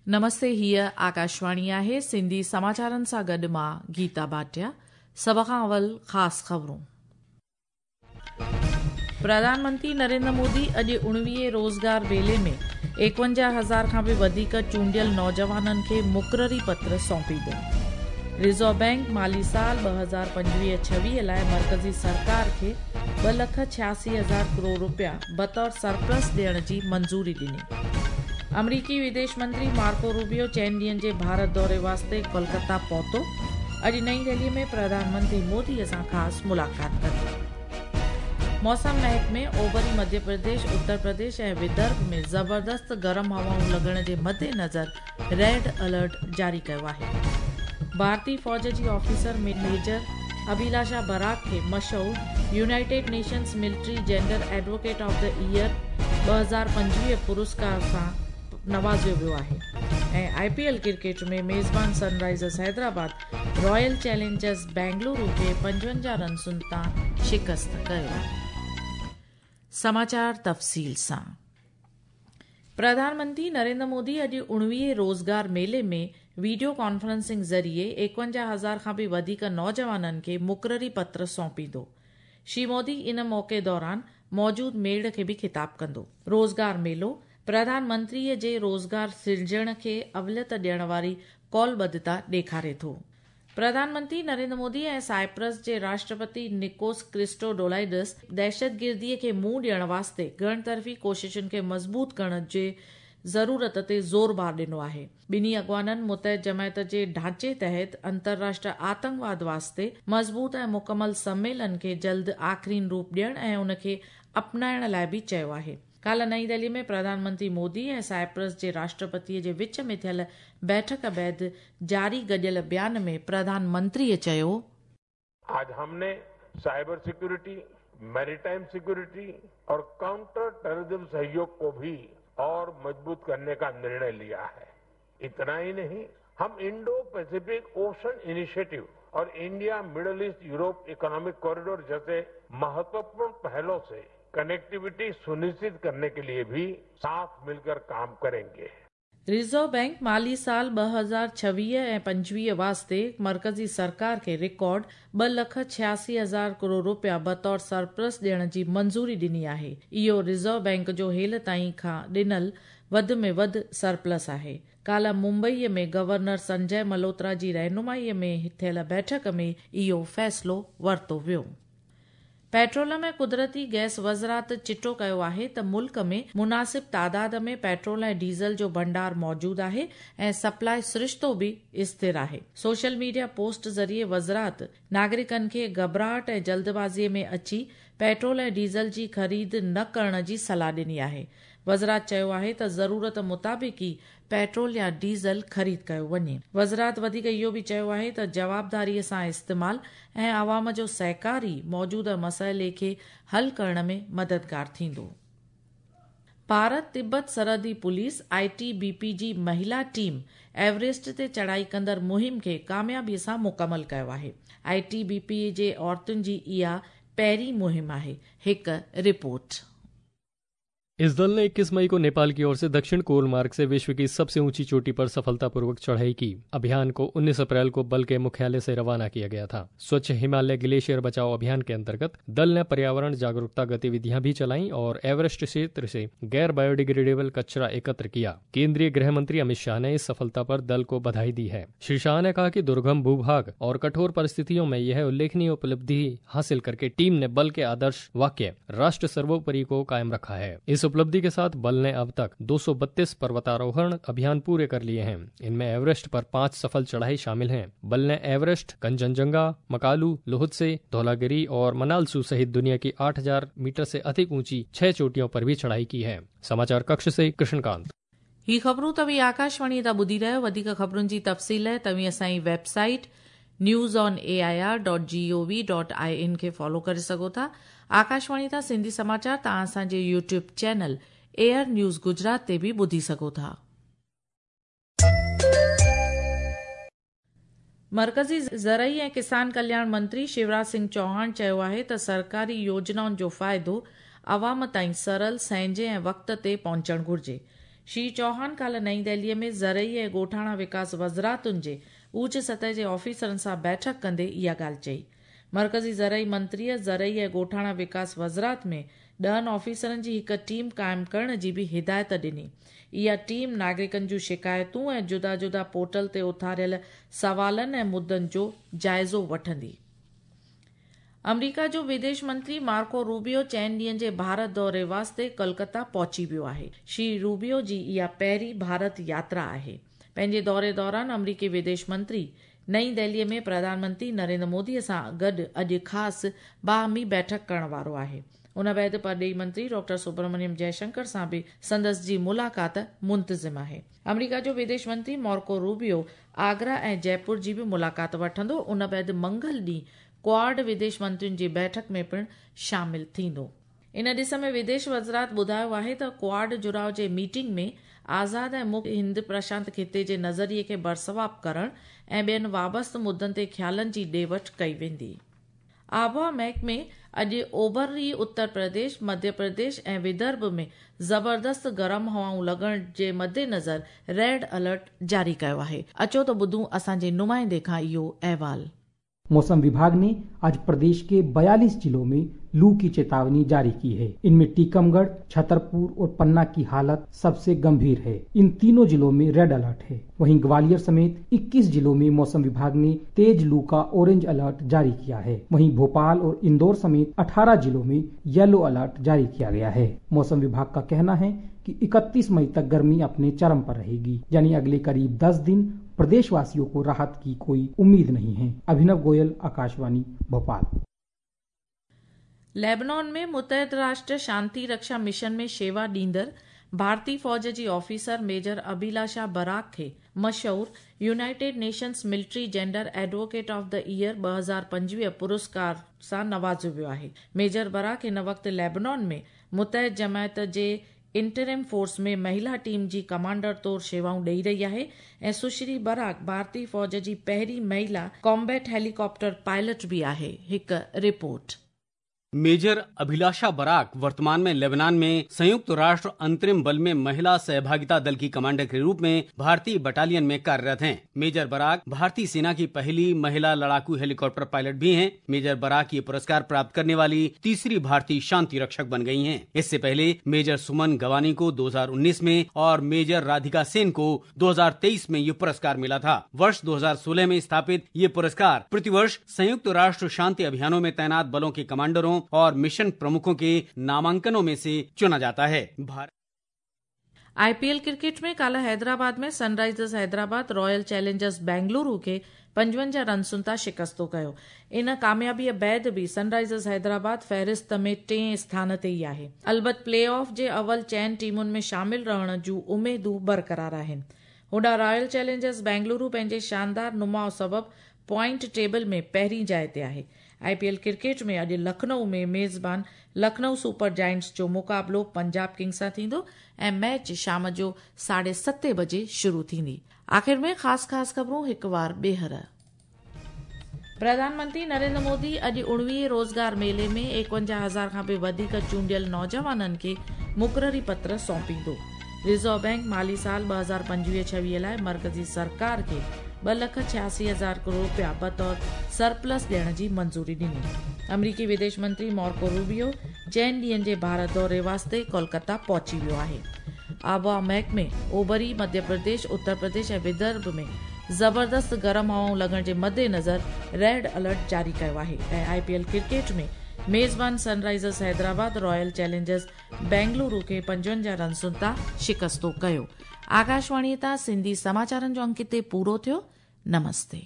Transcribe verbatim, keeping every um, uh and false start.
नमस्ते, हीअ आकाशवाणी आहे। सिंधी समाचारनि सां गॾु मां गीता भाटिया। सभ खां अवल ख़ासि ख़बरूं। प्रधानमंत्री नरेंद्र मोदी अॼु उणिवीह रोज़गार मेले में एकवंजाह हज़ार खां बि वधीक चूंडियल नौजवाननि खे मुक़ररी पत्र सौंपींदो। रिज़र्व बैंक माली साल ॿ हज़ार पंजवीह छवीह लाइ मर्कज़ी सरकार खे ॿ लख छियासी हज़ार करोड़ रुपया बतौर सरप्लस ॾियण जी मंज़ूरी ॾिनी। अमरीकी विदेश मंत्री मार्को रूबियो चइनि ॾींहनि जे भारत दौरे वास्ते कोलकाता पहुतो। अॼु नई दिल्ली में प्रधानमंत्री मोदीअ सां ख़ासि मुलाक़ात कंदो। मौसम महकमे ओभरी मध्य प्रदेश, उत्तर प्रदेश ऐं विदर्भ में ज़बरदस्त गरम हवाऊं लॻण जे मद्देनज़र रेड अलर्ट जारी कयो आहे। भारतीय फ़ौज जी ऑफिसर मेजर अभिलाषा बराक खे मशहूर United Nations Military Gender Advocate of the Year ॿ हज़ार पंजवीह पुरस्कार सां नवाज़ियो वियो आहे। ऐं I P L cricket में मेज़बान Sunrisers Hyderabad royal Challengers Bengaluru खे पंजवंजाह रनसुनि तां शिकस्त कयो। समाचार तफ़सील सां। प्रधानमंत्री नरेंद्र मोदी अॼु उणिवीह रोज़गार मेले में वीडियो कॉन्फ्रेंसिंग ज़रिए एकवंजाह हज़ार खां बि वधीक नौजवाननि खे मुक़ररी पत्र सौंपींदो। श्री मोदी इन मौक़े दौरान मौजूद मेड़ खे बि ख़िताब कंदो। रोज़गार मेलो प्रधानमंत्रीअ जे रोज़गार सिरजण खे अवलियत ॾियण वारी कौलबद्धता ॾेखारे थो। प्रधानमंत्री नरेंद्र मोदी ऐं साइप्रस जे राष्ट्रपति निकोस क्रिस्टोडोलाइडस दहशतगिर्दीअ खे मुंहुं ॾियण वास्ते गण तरफ़ी कोशिशुनि खे मज़बूत करण जे ज़रूरत ते ज़ोर भार ॾिनो आहे। ॿिन्ही अॻवाननि मुतहद जमायत जे ढांचे तहत अंतर्राष्ट्रीय आतंकवाद वास्ते मज़बूत ऐं मुकमल सम्मेलन खे जल्द आख़िरीन रूप ॾियण ऐं उनखे अपनाइण लाइ बि चयो आहे। काल्ह नई दिल्ली में प्रधानमंत्री मोदी ऐं साइप्रस जे राष्ट्रपतीअ जे विच में थियल बैठक बाद जारी गॾियल बयान में प्रधानमंत्रीअ चयो, आज हमने साइबर सिक्योरिटी, मैरीटाइम सिक्योरिटी और काउंटर टेररिज्म सहयोग को भी और मजबूत करने का निर्णय लिया है। इतना ही नहीं, हम इंडो पैसिफिक ओशन इनिशिएटिव और India Middle East Europe economic corridor जैसे महत्वपूर्ण पहलों से कनेक्टिविटी सुनिश्चित करने के लिए भी साथ मिलकर काम करेंगे। रिज़र्व बैंक माली साल ॿ हज़ार छवीह ऐं पंजवीह वास्ते मर्कज़ी सरकार खे रिकॉर्ड ॿ लख छियासी हज़ार करोड़ रुपया बतौर सरप्लस ॾियण जी मंज़ूरी ॾिनी आहे। इहो रिज़र्व बैंक जो हेल ताईं खां ॾिनल वधि में वधि सरप्लस आहे। काल्ह मुंबईअ में गवर्नर संजय मल्होत्रा जी रहनुमाईअ में थियल बैठक में इहो फ़ैसिलो वरितो वियो। पेट्रोलियम ऐं कुदरती गैस वज़ारत चिटो कयो आहे त मुल्क में मुनासिब तादाद में पेट्रोल ऐं डीज़ल जो भंडार मौजूद आहे ऐं सप्लाई सरिश्तो बि स्थिर आहे। सोशल मीडिया पोस्ट ज़रिए वज़ारत नागरिकनि खे घबराहट ऐं जल्दबाज़ीअ में अची पेट्रोल ऐं डीज़ल जी ख़रीद न करण जी सलाह ॾिनी आहे। वज़ारत चयो आहे त ज़रूरत मुताबिक़ ई पेट्रोल या डीज़ल ख़रीद कयो वञे। वज़ारत वधीक इहो बि चयो आहे त जवाबदारीअ सां इस्तेमाल ऐं आवाम जो सहकार ई मौजूदा मसइले खे हल करण में मददगार थींदो। भारत तिब्बत सरहदी police I T B P जी महिला टीम एवरेस्ट ते चढ़ाई कंदड़ मुहिम खे कामयाबीअ सां मुकमल कयो आहे। I T B P जे औरतुनि जी इहा पहिरीं मुहिम आहे। हिकु रिपोर्ट। इस दल ने इक्कीस मई को नेपाल की ओर से दक्षिण कोल मार्ग से विश्व की सबसे ऊंची चोटी पर सफलतापूर्वक चढ़ाई की। अभियान को उन्नीस अप्रैल को बल के मुख्यालय से रवाना किया गया था। स्वच्छ हिमालय ग्लेशियर बचाओ अभियान के अंतर्गत दल ने पर्यावरण जागरूकता गतिविधियां भी चलाई और एवरेस्ट क्षेत्र से गैर बायोडिग्रेडेबल कचरा एकत्र किया। केंद्रीय गृह मंत्री अमित शाह ने इस सफलता पर दल को बधाई दी है। श्री शाह ने कहा कि दुर्गम भूभाग और कठोर परिस्थितियों में यह उल्लेखनीय उपलब्धि हासिल करके टीम ने बल के आदर्श वाक्य राष्ट्र सर्वोपरि को कायम रखा है। इस उपलब्धि के साथ बल ने अब तक दो सौ बत्तीस पर्वतारोहण अभियान पूरे कर लिए हैं। इनमें एवरेस्ट पर पांच सफल चढ़ाई शामिल हैं। बल ने एवरेस्ट, कंचनजंगा, मकालू, लोहत्से, धौलागिरी और मनालसू सहित दुनिया की आठ हज़ार मीटर से अधिक ऊंची छह चोटियों पर भी चढ़ाई की है। समाचार कक्ष से कृष्णकांत। ही ख़बरूं तव्हीं आकाशवाणी तां ॿुधी रहियो। वधीक ख़बरुनि जी तफ़सील लाइ तव्हीं असांजी website news on A I R dot G O V dot I N खे फॉलो करे सघो था। आकाशवाणी तां सिंधी समाचार तव्हां असांजे YouTube channel AIR news Gujarat ते बि ॿुधी सघो था। मर्कज़ी ज़रई ऐं किसान कल्याण मंत्री शिवराज सिंह चौहान चयो आहे त सरकारी योजनाउनि जो फ़ाइदो आवाम ताईं सरल, सहजे ऐं वक़्त ते पहुचणु घुर्जे। श्री चौहान काल्ह नई दिल्लीअ में ज़रई ऐं ॻोठाणा विकास वज़ारतुनि जे ऊच सतह जे ऑफिसरनि सां बैठक कंदे इहा ॻाल्हि चई। मर्कज़ी ज़रई मंत्रीअ ज़रई ऐं ॻोठाणा विकास वज़ारत में ॾहनि ऑफिसरनि जी हिकु टीम क़ाइमु करण जी बि हिदायत ॾिनी। इहा टीम नागरिकनि जूं शिकायतूं ऐं जुदा जुदा पोर्टल ते उथारियल सवालनि ऐं मुद्दनि जो जाइज़ो वठंदी। अमरीका जो विदेश मंत्री मार्को रूबियो चइनि ॾींहनि जे भारत दौरे वास्ते कोलकाता पहुची वियो आहे। श्री रूबियो जी इहा पहिरीं भारत यात्रा आहे। पंहिंजे दौरे दौरान अमरीकी विदेश मंत्री नई दिल्लीअ में प्रधानमंत्री नरेंद्र मोदीअ सां गॾु अॼु ख़ासि बाहमी बैठक करण वारो आहे। उन बाद परॾेही मंत्री डॉक्टर सुब्रमण्यम जयशंकर सां बि संदसि जी मुलाक़ात मुंतज़िम आहे। अमरीका जो विदेश मंत्री मार्को रूबियो आगरा ऐं जयपुर जी बि मुलाक़ात वठंदो। उन बाद मंगल ॾींहुं क्वाड विदेश मंत्रियुनि जी बैठक में पिणु शामिल थींदो। इन ॾिस में विदेश वज़ारत ॿुधायो आहे त क्वाड जुड़ाव जे मीटिंग में आज़ाद ऐं मुक्त हिंद प्रशांत ख़िते जे नज़रिए खे बरसवाब करण ऐं ॿियनि वाबस्त मुद्दनि ते ख़्यालनि जी ॾे वठ कई वेंदी। आबहावा महकमे अॼु ओभरी उत्तर प्रदेश, मध्य प्रदेश ऐं विदर्भ में ज़बरदस्त गरम हवाऊं लॻण जे मद्देनज़र रेड अलर्ट जारी कयो आहे। अचो त ॿुधूं असांजे नुमाइंदे खां इहो अहवाल। मौसम विभाग ने आज प्रदेश के बयालीस जिलों में लू की चेतावनी जारी की है। इनमें टीकमगढ़, छतरपुर और पन्ना की हालत सबसे गंभीर है। इन तीनों जिलों में रेड अलर्ट है। वहीं ग्वालियर समेत इक्कीस जिलों में मौसम विभाग ने तेज लू का ऑरेंज अलर्ट जारी किया है। वहीं भोपाल और इंदौर समेत अठारह जिलों में येलो अलर्ट जारी किया गया है। मौसम विभाग का कहना है कि इकतीस मई तक गर्मी अपने चरम पर रहेगी, यानी अगले करीब दस दिन प्रदेशवासियों को राहत की कोई उम्मीद नहीं है। अभिनव गोयल, आकाशवाणी, भोपाल। लेबनान में मुतहद राष्ट्र शांति रक्षा मिशन में शेवा ॾींदड़ भारतीय फ़ौज जी ऑफिसर मेजर अभिलाषा बराक खे मशहूर United Nations military gender advocate of the year ॿ हज़ार पंजवीह पुरस्कार सां नवाज़ियो वियो आहे। मेजर बराक हिन वक़्तु लेबनान में मुतहद जमायत जे इंटरिम फोर्स में महिला टीम जी कमांडर तौर शेवाऊं ॾेई रही आहे ऐं सुश्री बराक भारतीय फ़ौज जी पहिरीं महिला कॉम्बैट हेलीकॉप्टर पायलट बि आहे। हिकु रिपोर्ट। मेजर अभिलाषा बराक वर्तमान में लेबनान में संयुक्त राष्ट्र अंतरिम बल में महिला सहभागिता दल की कमांडर के रूप में भारतीय बटालियन में कार्यरत हैं। मेजर बराक भारतीय सेना की पहली महिला लड़ाकू हेलीकॉप्टर पायलट भी हैं। मेजर बराक ये पुरस्कार प्राप्त करने वाली तीसरी भारतीय शांति रक्षक बन गई हैं। इससे पहले मेजर सुमन गवानी को दो हजार उन्नीस में और मेजर राधिका सेन को दो हजार तेईस में ये पुरस्कार मिला था। वर्ष दो हजार सोलह में स्थापित ये पुरस्कार प्रतिवर्ष संयुक्त राष्ट्र शांति अभियानों में तैनात बलों के कमांडरों और मिशन प्रमुखों के नामांकनों में से चुना जाता है। आईपीएल क्रिकेट में काल्ह हैदराबाद में Sunrisers Hyderabad royal Challengers Bengaluru खे पंजवंजाह रनसुनि तां शिकस्तो कयो। इन कामयाबीअ बाद बि सनराइजर्स हैदराबाद फ़हरिस्त में टें स्थान ते ई आहे। अलबत प्ले ऑफ जे अवल चइनि टीमुनि में शामिल रहण जूं उमेदूं बरक़रार आहिनि। होॾां रॉयल चैलेंजर्स बेंगलुरु पंहिंजे शानदार नुमाउ सबबु पॉइंट टेबल में पहिरीं जाइ ते आहे। आईपीएल क्रिकेट में अॼु लखनऊ में मेज़बान लखनऊ सुपर जायंट्स जो मुक़ाबिलो पंजाब किंग्स सां थींदो ऐं मैच शाम जो साढे सते बजे शुरू थींदी। आख़िर में ख़ासि ख़ासि ख़बरूं हिकु वार ॿीहर। प्रधानमंत्री नरेंद्र मोदी अॼु उणिवीह रोज़गार मेले में एकवंजाह हज़ार खां बि वधीक चूंडियल नौजवाननि खे मुक़ररी पत्र सौंपींदो। रिज़र्व बैंक माली साल ॿ हज़ार पंजवीह छवीह लाइ मर्कज़ी सरकार खे ॿ लख छियासी हज़ार करोड़ रुपया बतौर सरप्लस ॾियण जी मंज़ूरी ॾिनी। अमरीकी विदेश मंत्री मार्को रूबियो चइनि ॾींहनि जे भारत दौरे वास्ते कोलकाता पहुची वियो आहे। आबहावा महकमे ओभरी मध्य प्रदेश, उत्तर प्रदेश ऐं विदर्भ में ज़बरदस्त गरम हवाऊं लॻण जे मद्देनज़र रेड अलर्ट जारी कयो आहे। ऐं आईपीएल क्रिकेट में मेज़बान Sunrisers Hyderabad royal Challengers Bengaluru खे पंजवंजाह रनसुनि तां शिकस्तो कयो। आकाशवाणीअ तां सिंधी समाचारनि जो अंक हिते पूरो थियो। नमस्ते।